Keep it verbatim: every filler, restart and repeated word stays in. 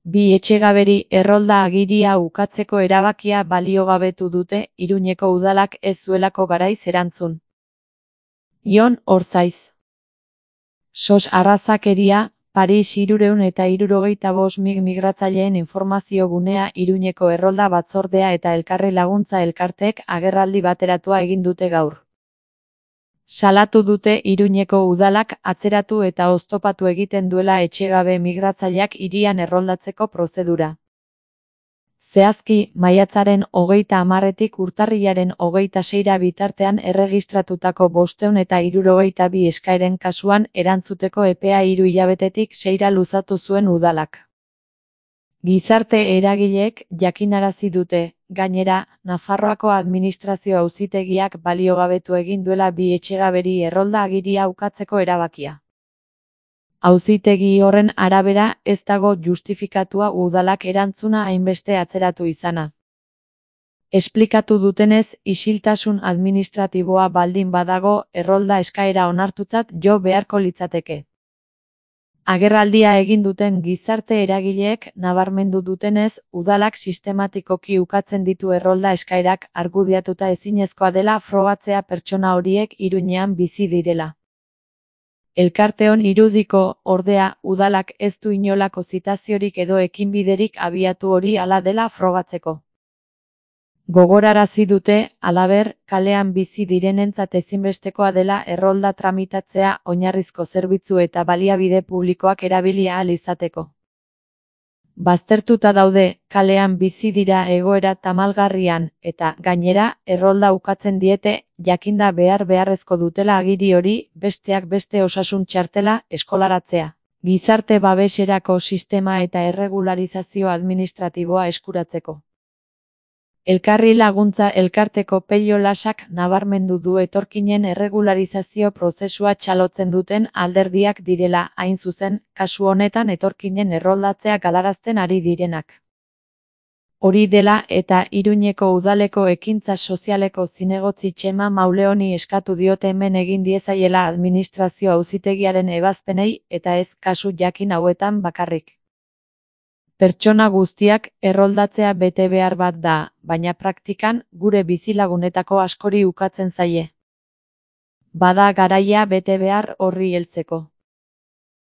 Bi etxegaberi errolda agiria ukatzeko erabakia baliogabetu dute Iruñeko udalak ez zuelako garaiz erantzun. Jon Orzaiz. Sos arrazakeria, Paris hirurehun eta hirurogeita bost mig migratzaileen informazio gunea Iruñeko errolda batzordea eta elkarri laguntza elkarteek agerraldi bateratua egin dute gaur. Salatu dute Iruñeko udalak atzeratu eta oztopatu egiten duela etxegabe migratzaileak hirian erroldatzeko prozedura. Zehazki, maiatzaren hogeita hamarretik urtarrilaren hogeita seira bitartean erregistratutako bostehun eta hirurogeita bi eskaeren kasuan erantzuteko epea hiru hilabetetik seira luzatu zuen udalak. Gizarte eragileek jakinarazi dute, gainera, Nafarroako administrazio auzitegiak baliogabetu egin duela bi etxegaberi errolda agiria ukatzeko erabakia. Auzitegi horren arabera ez dago justifikatua udalak erantzuna hainbeste atzeratu izana. Esplikatu dutenez, isiltasun administratiboa baldin badago errolda eskaera onartutzat jo beharko litzateke. Agerraldia egin duten gizarte eragileek nabarmendu dutenez, udalak sistematikoki ukatzen ditu errolda eskaerak argudiatuta ezinezkoa dela frogatzea pertsona horiek Iruñean bizi direla. Elkarteon irudiko, ordea, udalak ez du inolako zitaziorik edo ekinbiderik abiatu hori hala dela frogatzeko. Gogorarazi dute, halaber, kalean bizi direnentzat ezinbestekoa dela errolda tramitatzea oinarrizko zerbitzu eta baliabide publikoak erabili ahal izateko. Baztertuta daude, kalean bizi dira egoera tamalgarrian, eta, gainera, errolda ukatzen diete, jakinda behar beharrezko dutela agiri hori, besteak beste osasun txartela, eskolaratzea, gizarte babeserako sistema eta erregularizazio administratiboa eskuratzeko. Elkarri laguntza elkarteko Pello Lasak nabarmendu du etorkinen erregularizazio prozesua txalotzen duten alderdiak direla, hain zuzen, kasu honetan etorkinen erroldatzea galarazten ari direnak. Hori dela eta Iruñeko udaleko ekintza sozialeko zinegotzi Txema Mauleoni eskatu diote hemen egin diezaiela administrazio auzitegiaren ebazpenei eta ez kasu jakin hauetan bakarrik. Pertsona guztiak erroldatzea bete behar bat da, baina praktikan gure bizilagunetako askori ukatzen zaie. Bada garaia bete behar horri heltzeko.